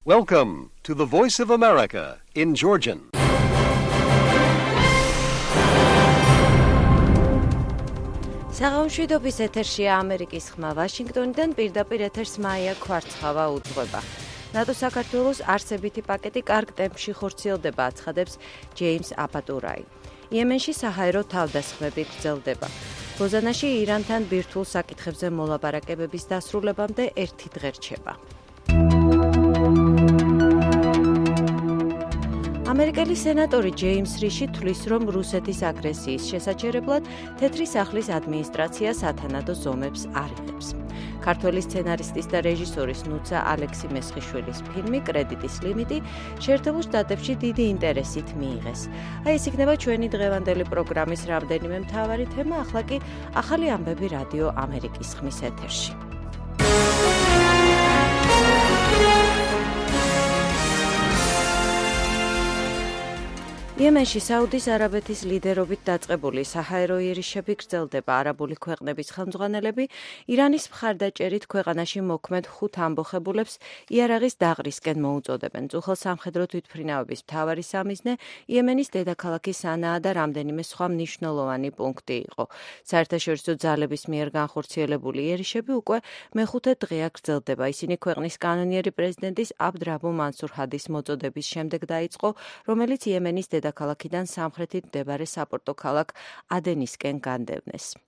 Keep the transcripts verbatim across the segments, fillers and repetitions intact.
Welcome to the Voice of America in Georgian. საღამოშვიდობის ეთერშია ამერიკის ხმა ვაშინგტონიდან პირდაპირ ეთერს მაია ქვარცხავა უძღვება. ნატო საქართველოს არსებითი პაკეტი კარგ ტემპში ხორციელდება, აცხადებს ჯეიმს აპატურაი. იემენში საჰაერო თავდასხმები გრძელდება. ლოზანაში ირანთან ბირთვულ საკითხებზე მოლაპარაკებების დასრულებამდე ერთი დღე რჩება. ამერიკელი სენატორი ჯეიმს რიში თვლის, რომ რუსეთის აგრესიის შესაჩერებლად თეთრი სახლის ადმინისტრაცია სათანადო ზომებს არ იღებს. ქართველი სცენარისტის და რეჟისორის ნუცა ალექსი მესხიშვილის ფილმი კრედიტის ლიმიტი შეერთებულ შტატებში დიდი ინტერესით მიიღეს. აი ეს იქნება ჩვენი დღევანდელი პროგრამის რამდენიმე მთავარი თემა, ახლა კი ახალი ამბები რადიო ამერიკის ხმის ეთერში. იემენში საუდის არაბეთის ლიდერობით დაწყებული საჰაერო იერიშები გრძელდება. არაბული ქვეყნების ხელმძღვანელები ირანის მხარდაჭერით ქვეყანაში მოქმედ ხუთ ამბოხებულებს იარაღის დაღრისკენ მოუწოდებენ. წუხელ სამხედრო თვითმფრინავების მთავარი სამიზნე იემენის დედაქალაქი სანაა და რამდენიმე სხვა მნიშვნელოვანი პუნქტი იყო. საერთაშორისო ძალების მიერ განხორციელებული იერიშები უკვე მეხუთე დღეა გრძელდება. ისინი ქვეყნის კანონიერი პრეზიდენტის აბდ რაბუ მანსურ ჰადის მოწოდების შემდეგ დაიწყო, რომელიც იემენის დედაქალაქიდან სამხრეთით მდებარე საპორტო ქალაქ ადენისკენ განდევნეს.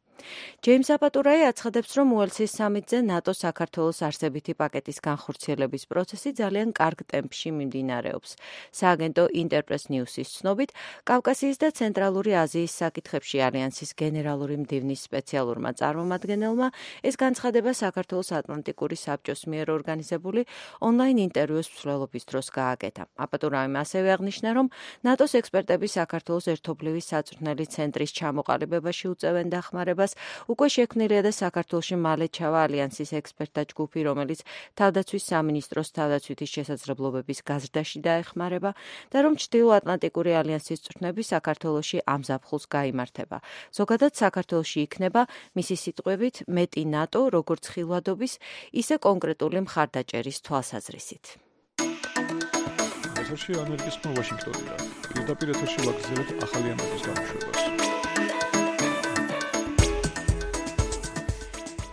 ჯეიმს აპატურაი აცხადებს, რომ უელსის სამიტზე ნატო საქართველოს არსებითი პაკეტის განხორციელების პროცესი ძალიან კარგ ტემპში მიმდინარეობს. სააგენტო ინტერპრეს ნიუსის ცნობით, კავკასიის და ცენტრალური აზიის საკითხებში ალიანსის გენერალური მდივნის სპეციალურმა წარმომადგენელმა ეს განცხადება საქართველოს ატლანტიკური საბჭოს მიერ ორგანიზებული ონლაინ ინტერვიუს მსვლელობის დროს გააკეთა. აპატურაიმ ასევე აღნიშნა, რომ ნატოს ექსპერტები საქართველოს ერთობლივი საწვრთნელი ცენტრის ჩამოყალიბებაში უწევენ დახმარებას. უკვე შექმნილია და საქართველოში მალე ჩავა ალიანსის ექსპერტთა ჯგუფი, რომელიც თავდაცვის სამინისტროს თავდაცვითი შესაძლებლობების გაზრდაში დაეხმარება და რომ ჩრდილოატლანტიკური ალიანსის წვრთნები საქართველოში ამ ზაფხულს გაიმართება. ზოგადად საქართველოში იქნება მისი სიტყვებით მეტი ნატო, როგორც ხილვადობის, ისე კონკრეტული მხარდაჭერის თვალსაზრისით. ეთერში ამერიკის ხმა ვაშინგტონიდან. პირდაპირ ეთერში ვაგრძელებთ ახალი ამბების გამოშვებას.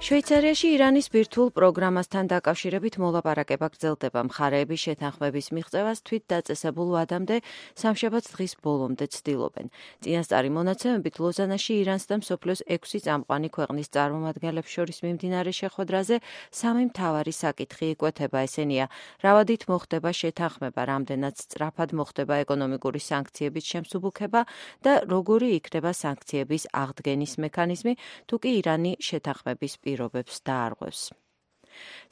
შვეიცარიაში ირანის ბირთვულ პროგრამასთან დაკავშირებით მოლაპარაკება გრძელდება. მხარეები შეთანხმების მიღწევას თვით დაწესებულ ვადამდე სამშაბათს დღის ბოლომდე ცდილობენ. წინასწარი მონაცემებით ლოზანაში ირანს და მსოფლიოს ექვსი წამყვანი ქვეყნის წარმომადგენლებს შორის მიმდინარე შეხვედრაზე სამი მთავარი საკითხი იკვეთება. ესენია: რავადით მოხდება შეთანხმება, რამდენად სწრაფად მოხდება ეკონომიკური სანქციების შემსუბუქება და როგორი იქნება სანქციების აღდგენის მექანიზმი, თუ კი ირანი შეთანხმების პირობებს დაარღვევს.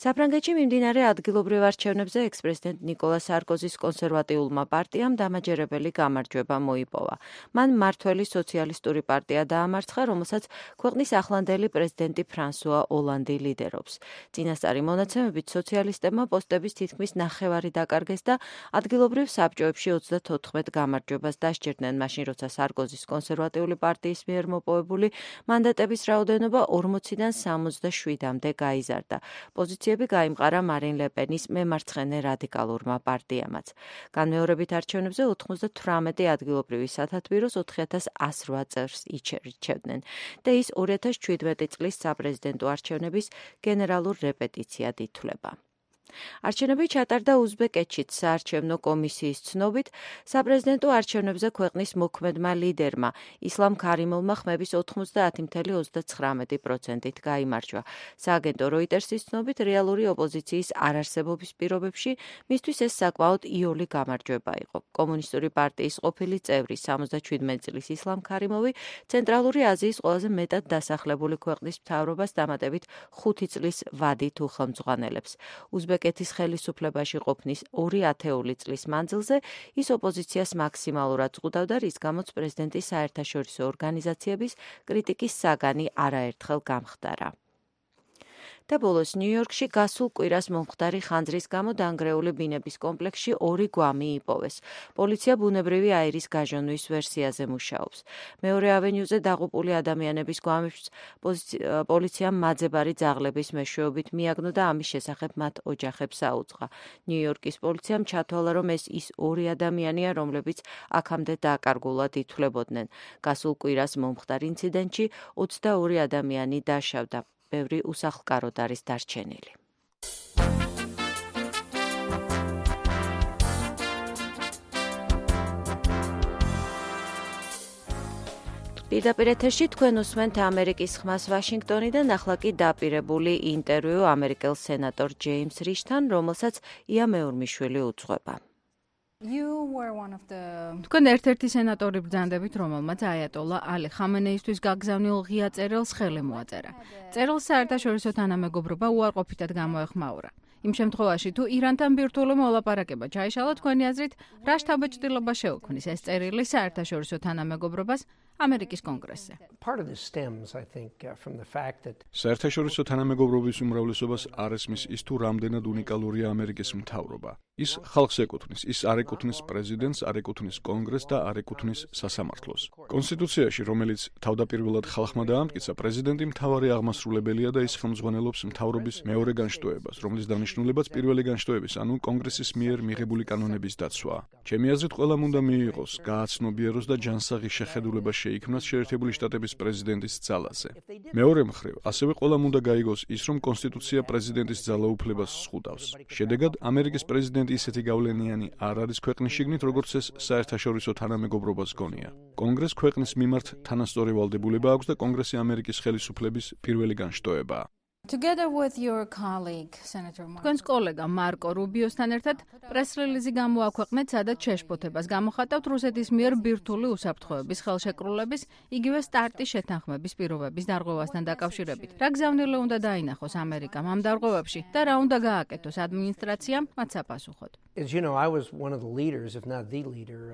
საფრანგეთში მიმდინარე ადგილობრივ არჩევნებზე ექს-პრეზიდენტ ნიკოლა სარკოზის კონსერვატიულმა პარტიამ დამაჯერებელი გამარჯვება მოიპოვა. მან მმართველი სოციალისტური პარტია დაამარცხა, რომელსაც ქვეყნის ახლანდელი პრეზიდენტი ფრანსუა ოლანდი ლიდერობს. წინასწარი მონაცემებით სოციალისტებმა პოსტების თითქმის ნახევარი დაკარგეს და ადგილობრივ საბჭოებში ოცდათოთხმეტ გამარჯვებას დასჯერდნენ, მაშინ როცა სარკოზის კონსერვატიული პარტიის მიერ მოპოვებული მანდატების რაოდენობა ორმოციდან სამოცდაშვიდამდე გაიზარდა. პოზიციები გაიმყარა მარინ ლე პენის მემარცხენე რადიკალურმა პარტიამაც. განმეორებით არჩევნებზე ოთხმოცდათვრამეტი ადგილობრივი სათათბიროს ოთხი ათას ასი რვა წელს ირჩევდნენ და ის ორი ათას შვიდმეტი წლის საპრეზიდენტო არჩევნების გენერალურ რეპეტიციად ითვლება. არჩევნები ჩატარდა უზბეკეთშიც. საარჩევნო კომისიის ცნობით, საპრეზიდენტო არჩევნებზე ქვეყნის მოქმედმა ლიდერმა ისლამ ქარიმოვმა ხმების ოთხმოცდაათი целых ოცდაცხრამეტი პროცენტით გაიმარჯვა. სააგენტო როიტერსის ცნობით, რეალური ოპოზიციის არარსებობის პირობებში მისთვის ეს საკმაოდ იოლი გამარჯვება იყო. კომუნისტური პარტიის ყოფილი წევრი სამოცდაშვიდმეტი წლის ისლამ ქარიმოვი ცენტრალური აზიის ყველაზე მეტად დასახლებული ქვეყნის მთავრობას დამატებით ხუთი წლის ვადით უხელმძღვანელებს. უზბეკეთის ხელისუფლებაში ყოფნის ორი ათეული წლის მანძილზე ის ოპოზიციას მაქსიმალურად ზღუდავდა, რის გამოც პრეზიდენტის საერთაშორისო ორგანიზაციების კრიტიკის საგანი არაერთხელ გამხდარა. და ბოლოს ნიუ-იორკში გასულ კვირას მომხდარი ხანძრის გამო დანგრეული ბინების კომპლექსში ორი გვამი იპოვეს. პოლიცია ბუნებრივი აირის გაჟონვის ვერსიაზე მუშაობს. მეორე ავენიუზე დაღუპული ადამიანების გვამებს პოლიციამ მაძებარი ძაღლების მეშვეობით მიაგნო და ამის შესახებ მათ ოჯახებს აუწყა. ნიუ-იორკის პოლიციამ ჩათვალა, რომ ეს ის ორი ადამიანია, რომლებიც აქამდე დაკარგულად ითვლებოდნენ. გასულ კვირას მომხდარ ინციდენტში ოცდაორი ადამიანი დაშავდა. ბევრი უსახლკაროდ არის დარჩენილი. პირდაპირ ეთერში თქვენ უსმენთ ამერიკის ხმას ვაშინგტონიდან, ახლა კი დაპირებული ინტერვიუ ამერიკელ სენატორ ჯეიმს რიშთან, რომელსაც ია მეორმიშვილი უძღვება. თქვენ ერთ-ერთი სენატორი ბრძანდებით, რომელმაც აიატოლა ალი ხამენეისთვის გაგზავნილ ღია წერილს ხელი მოაწერა. წერილს საერთაშორისო თანამეგობრობა უარყოფითად გამოეხმაურა. იმ შემთხვევაში, თუ ირანთან ბირთვული მოლაპარაკება ჩაიშალა, თქვენი აზრით, რა შთაბეჭდილება შეუქმნის ეს წერილი საერთაშორისო თანამეგობრობას ამერიკის კონგრესზე? საერთაშორისო თანამეგობრობის უმრავლესობას არ ესმის ის, თუ რამდენად უნიკალურია ამერიკის მთავრობა. ის ხალხს ეკუთვნის, ის არ ეკუთვნის პრეზიდენტს, არ ეკუთვნის კონგრესს და არ ეკუთვნის სასამართლოს. კონსტიტუციაში, რომელიც თავდაპირველად ხალხმა დაამტკიცა, პრეზიდენტი მთავარი აღმასრულებელია და ის ხელმძღვანელობს მთავრობის მეორე განშტოებას, რომლის დანიშნულებაც პირველი განშტოების, ანუ კონგრესის მიერ მიღებული კანონების დაცვაა. ჩემი აზრით, ყველამ უნდა მიიღოს, გააცნობიეროს და ჯანსაღი შეხედულება შეიქმნას შეერთებული შტატების პრეზიდენტის ძალაზე. მეორე მხრივ, ასევე ყველამ უნდა გაიგოს ის, რომ კონსტიტუცია პრეზიდენტის ძალაუფლებას ზღუდავს. შედეგად, ამერიკის პრეზიდენტი ისეთი გავლენიანი არ არის ქვეყნის შიგნით, როგორც ეს საერთაშორისო თანამეგობრობას გონია. კონგრესს ქვეყნის მიმართ თანასწორი ვალდებულება აქვს და კონგრესი ამერიკის ხელისუფლების პირველი განშტოებაა. თქვენს კოლეგა მარკო რუბიოსთან ერთად პრეს-რელიზი გამოაქვეყნეთ, სადაც შეშფოთებას გამოხატავთ რუსეთის მიერ ბირთვული უსაფრთხოების ხელშეკრულების, იგივე სტარტის შეთანხმების პირობების დარღვევასთან დაკავშირებით. რა გზავნილი უნდა დაინახოს ამერიკამ ამ დარღვევებში და რა უნდა გააკეთოს ადმინისტრაციამ მათ საპასუხოდ?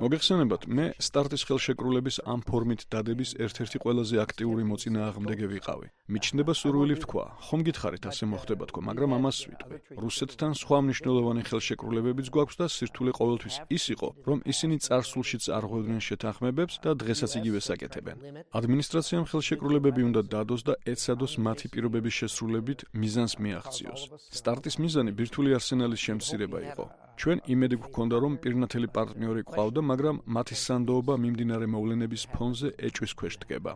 მოგეხსენებათ, მე სტარტის ხელშეკრულების ამ ფორმით დადების ერთ-ერთი ყველაზე აქტიური მოწინააღმდეგე ვიყავი. მიჩნდება სურვილი ვთქვა, ხომ გითხარით ასე მოხდება თქო, მაგრამ ამას ვიტყვი. რუსეთთან სხვა მნიშვნელოვანი ხელშეკრულებებიც გვაქვს და სირთულე ყოველთვის ის იყო, რომ ისინი წარსულშიც არ ღვევდნენ შეთანხმებებს და დღესაც იგივეს აკეთებენ. ადმინისტრაციამ ხელშეკრულებები უნდა დადოს და ეცადოს მათი პირობების შესრულებით მიზანს მიაღწიოს. სტარტის მიზანი ბირთვული არსენალის შემცირება იყო. ჩვენ იმედი გვქონდა, რომ პირნათელი პარტნიორი გვყავდა, მაგრამ მათი სანდოობა მიმდინარე მოვლენების ფონზე ეჭვის ქვეშ დგება.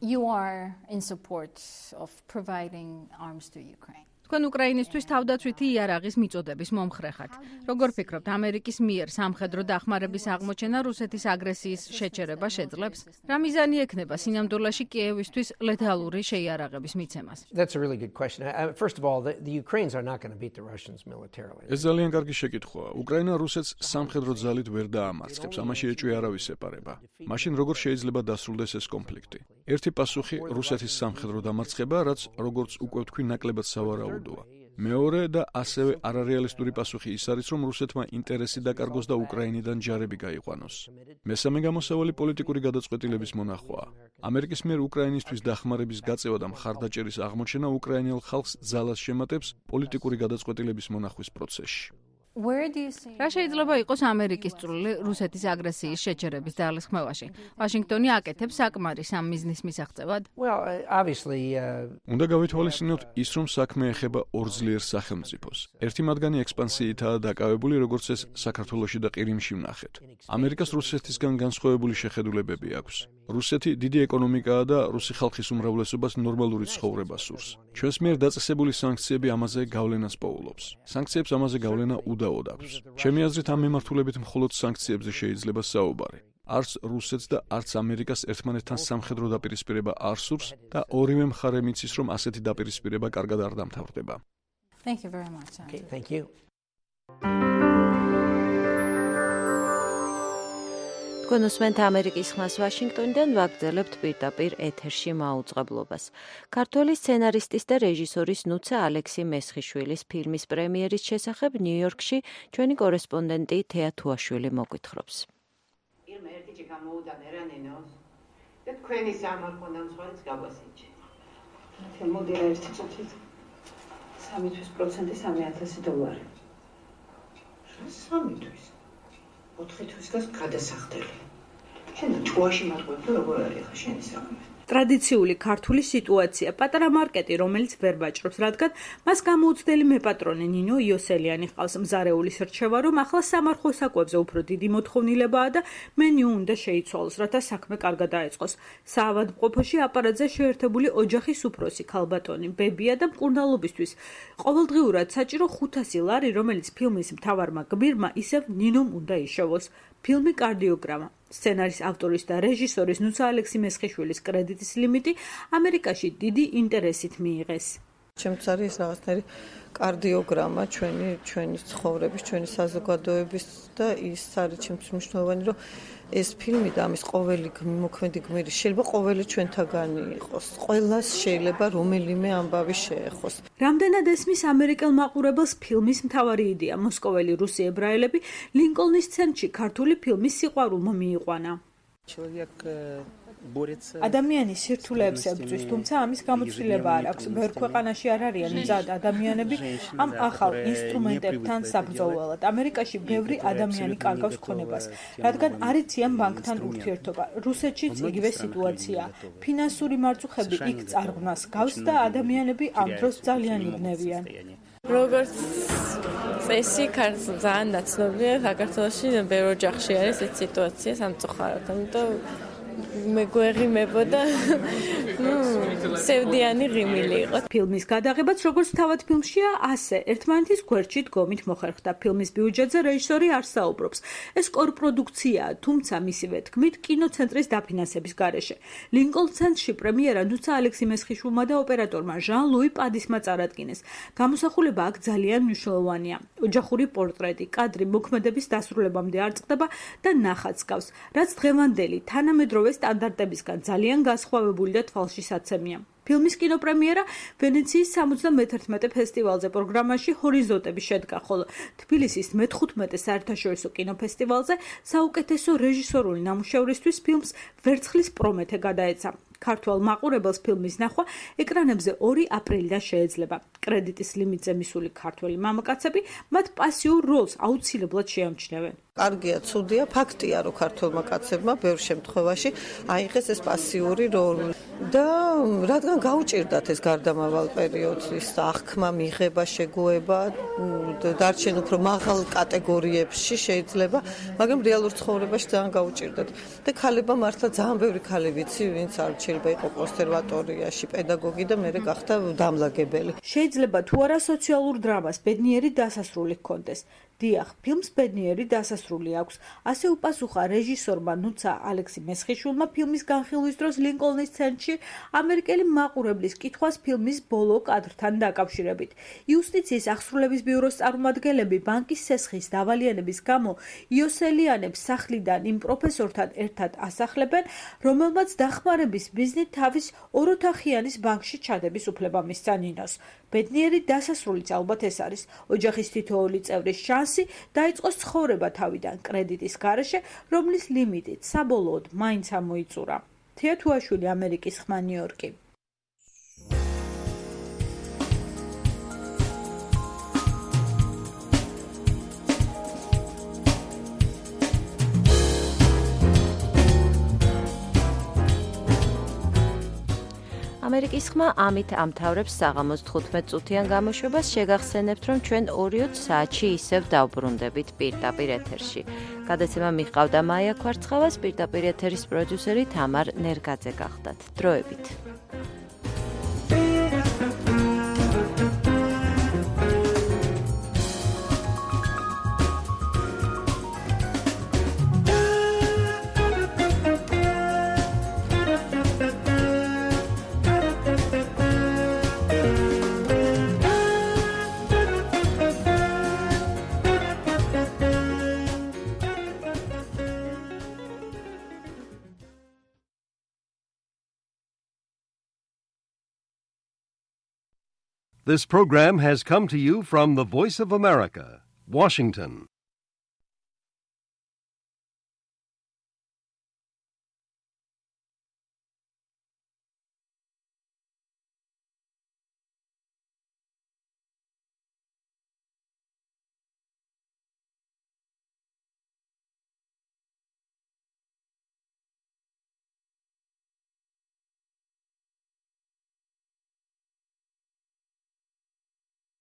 You are in support of providing arms to Ukraine. თქვენ უკრაინისთვის თავდაცვითი იარაღის მიწოდების მომხრე ხართ. როგორ ფიქრობთ, ამერიკის მიერ სამხედრო დახმარების აღმოჩენა რუსეთის აგრესიის შეჩერება შეძლებს? რა მიზანი ექნება სინამდვილეში კიევისთვის ლეთალური შეიარაღების მიცემას? That's a really good question. I, first of all, the, the Ukrainians are not going to beat the Russians militarily. ეს ძალიან კარგი შეკითხვაა. უკრაინა რუსეთს სამხედრო ძალით ვერ დაამარცხებს, ამაში ეჭვი არავის ეპარება. მაშინ როგორ შეიძლება დასრულდეს ეს კონფლიქტი? ერთი პასუხი რუსეთის სამხედრო დამარცხება, რაც როგორც უკვე ვთქვი, ნაკლებად სავარაუდოა. მეორე და ასევე არარეალისტური პასუხი ის არის, რომ რუსეთმა ინტერესი დაკარგოს და უკრაინიდან ჯარები გაიყვანოს. მესამე გამოსავალი პოლიტიკური გადაწყვეტილების მონახვაა. ამერიკის მიერ უკრაინისთვის დახმარების გაწევა და მხარდაჭერის აღმოჩენა უკრაინელ ხალხს ძალას შემატებს პოლიტიკური გადაწყვეტილების მონახვის პროცესში. რა შეიძლება იყოს ამერიკის წვლილი რუსეთის აგრესიის შეჩერების ძალისხმევაში? ვაშინგტონი აკეთებს საკმარის ამ მიზნის მისაღწევად? Well, obviously, uh... უნდა გავითვალისწინოთ ის, რომ საქმე ეხება ორ ძლიერ სახელმწიფოს. ერთი მათგანი ექსპანსიითაა დაკავებული, როგორც ეს საქართველოში და ყირიმში ვნახეთ. ამერიკას რუსეთისგან განსხვავებული შეხედულებები აქვს. რუსეთი დიდი ეკონომიკაა და რუსი ხალხის უმრავლესობას ნორმალური ცხოვრება სურს. ჩვენს მიერ დაწესებული სანქციები ამაზე გავლენას პოულობს. სანქციებს ამაზე გავლენა უდაოდ აქვს. ჩემი აზრით, ამ მიმართულებით მხოლოდ სანქციებზე შეიძლება საუბარი. არც რუსეთს და არც ამერიკას ერთმანეთთან სამხედრო დაპირისპირება არ სურს და ორივე მხარე მიცის, რომ ასეთი დაპირისპირება კარგად არ დამთავრდება. Thank you very much. Okay, thank you. თქვენ უსმენთ ამერიკის ხმას ვაშინგტონიდან, ვაგრძელებთ პირდაპირ ეთერში მაუწყებლობას. ქართველი სცენარისტის და რეჟისორის ნუცა ალექსი მესხიშვილის ფილმის პრემიერის შესახებ ნიუ-იორკში ჩვენი კორესპონდენტი თეა თუაშვილი მოგვითხრობს. Film ertichi გამოუდან ერანინოს და თქვენი სამარხონდა მსხვერპლს გავასიჩე. მოდი რა ერთი წუთით. სამი თვის პროცენტი სამი ათასი დოლარი. სამი თვის. ოთხი თვის გას გადასახდელი. შენ ჭუაში მატყუებ და როგორ არის ხა შენი საქმე? ტრადიციული ქართული სიტუაცია, პატარა მარკეტი, რომელიც ვერ ვაჭრობს, რადგან მას გამოუცდელი მეპატრონე ნინო იოსელიანი ჰყავს. მზარეულის რჩევა, რომ ახლა სამარხო საკვებზე უფრო დიდი მოთხოვნილებაა და მენიუ უნდა შეიცვალოს, რათა საქმე კარგად დაეწყოს. საავადმყოფოში აპარატზე შეერთებული ოჯახის უფროსი, ქალბატონი, ბებია და მკურნალობისთვის ყოველდღიურად საჭირო ხუთასი ლარი, რომელიც ფილმის მთავარმა გმირმა ისევ ნინომ უნდა იშოვოს. ფილმი კარდიოგრამა. სცენარის ავტორის და რეჟისორის ნუცა ალექსი მესხიშვილის კრედიტის ლიმიტი ამერიკაში დიდი ინტერესით მიიღეს. ჩემთვის არის რაღაცნაირი კარდიოგრამა ჩვენი ჩვენი ცხოვრების, ჩვენი საზოგადოების და ის არის ჩემთვის მნიშვნელოვანი, რომ ეს ფილმი და ამის ყოველი მოქმედი გმირი შეიძლება ყოველი ჩვენთაგანი იყოს. ყველას შეიძლება რომელიმე ამბავი შეეხოს. რამდენად ესმის ამერიკელ მაყურებელს ფილმის მთავარი იდეა, მოსკოველი რუსი ებრაელები ლინკოლნის ცენტრში ქართული ფილმის სიყვარულმა მიიყვანა. ადამიანი სირთულეებს ებრძვის, თუმცა ამის გამოცდილება არ აქვს. ბევრ ქვეყანაში არ არიან მზად ადამიანები ამ ახალ ინსტრუმენტებთან საბრძოლველად. ამერიკაში ბევრი ადამიანი კარგავს ქონებას, რადგან არ იციან ბანკთან ურთიერთობა. რუსეთშიც იგივე სიტუაციაა. ფინანსური მარწუხები იქ წარღვნას გავს და ადამიანები ამ დროს ძალიან იბნევიან. როგორც წესი, ძალიან ნაცნობია საქართველოში, ბევრ ოჯახში არის ეს სიტუაცია სამწუხაროდ, ამიტომ მეგვეღიმებო და ნუ სევდიანი ღიმილი იყო. ფილმის გადაღებაც როგორც თავად ფილმშია, ასე ერთმანეთის გვერდში დგომით მოხერხდა. ფილმის ბიუჯეტზე რეჟისორი არ საუბრობს. ეს კორპროდუქციაა, თუმცა მისივე თქმით, კინოცენტრის დაფინანსების გარეშე. ლინკოლნ ცენტრში პრემიერა ნუცა ალექსი მესხიშვილმა და ოპერატორმა ჟან ლუი პადისმა წარადგინეს. გამოსახულება აქ ძალიან მნიშვნელოვანია. ოჯახური პორტრეტი, კადრი მოქმედების დასრულებამდე არ წყდება და ნახაც გავს, რაც დღევანდელი თანამედროვე სტანდარტებისგან ძალიან განსხვავებული და თვალში საცემია. ფილმის კინოპრემიერა ვენეციის სამოცდამეთერთმეტე ფესტივალზე პროგრამაში ჰორიზონტები შედგა, ხოლო თბილისის მეთხუთმეტე საერთაშორისო კინოფესტივალზე საუკეთესო რეჟისორული ნამუშევრისთვის ფილმს ვერცხლის პრომეთე გადაეცა. ქართველ მაყურებელს ფილმის ნახვა ეკრანებზე ორი აპრილიდან შეეძლება. კრედიტის ლიმიტზე მისული ქართველი მამაკაცები მათ პასიურ როლს აუცილებლად შეამჩნევენ. კარგია, ცუდია, ფაქტია, რომ ქართველმა კაცებმა ბევრ შემთხვევაში აიღეს ეს პასიური როლი და რადგან გაუჭირდათ ეს გარდამავალ პერიოდის აღქმა, მიღება, შეგუება, დარჩენ უფრო მაღალ კატეგორიებში შეიძლება, მაგრამ რეალურ ცხოვრებაში ძალიან გაუჭირდათ. და ქალებმა მართლა ძალიან ბევრი ქალი ვიცი, ვინც არ შეიძლება იყო კონსერვატორიაში პედაგოგი და მერე გახდა დამლაგებელი. შეიძლება თუ არა სოციალურ დრამას ბედნიერი დასასრული ჰქონდეს. დიახ, ფილმს ბედნიერი დასასრული აქვს. ასე უპასუხა რეჟისორმა ნუცა ალექსი მესხიშვილმა ფილმის განხილვის დროს ლინკოლნის ცენტრში ამერიკელი მაყურებლის კითხვას ფილმის ბოლო კადრთან დაკავშირებით. იუსტიციის აღსრულების ბიუროს წარმომადგენლები ბანკის სესხის დავალიანების გამო იოსელიანებს სახლიდან იმ პროფესორთან ერთად ასახლებენ, რომელმაც დახმარების მიზნით თავის ოროთახიანის ბანკში ჩადების უფლება მისცა ნინოს. ბედნიერი დასასრულიც ალბათ ეს არის. ოჯახის თითოეული წევრის შანსი დაიწყოს ცხოვრება თავიდან კრედიტის გარეშე, რომლის ლიმიტით საბოლოოდ მაინც ამოიწურა. თია თუაშვილი, ამერიკის ხმა, ნიუ-იორკი. ამერიკის ხმა ამით ამთავრებს საღამოს თხუთმეტ წუთიან გამოშვებას. შეგახსენებთ, რომ ჩვენ ორი საათში ისევ დავბრუნდებით პირდაპირ ეთერში. გადაცემა მიჰყავდა მაია ქვარცხავას, პირდაპირ ეთერის პროდიუსერი თამარ ნერგაძე გახდათ. დროებით. This program has come to you from the Voice of America, Washington.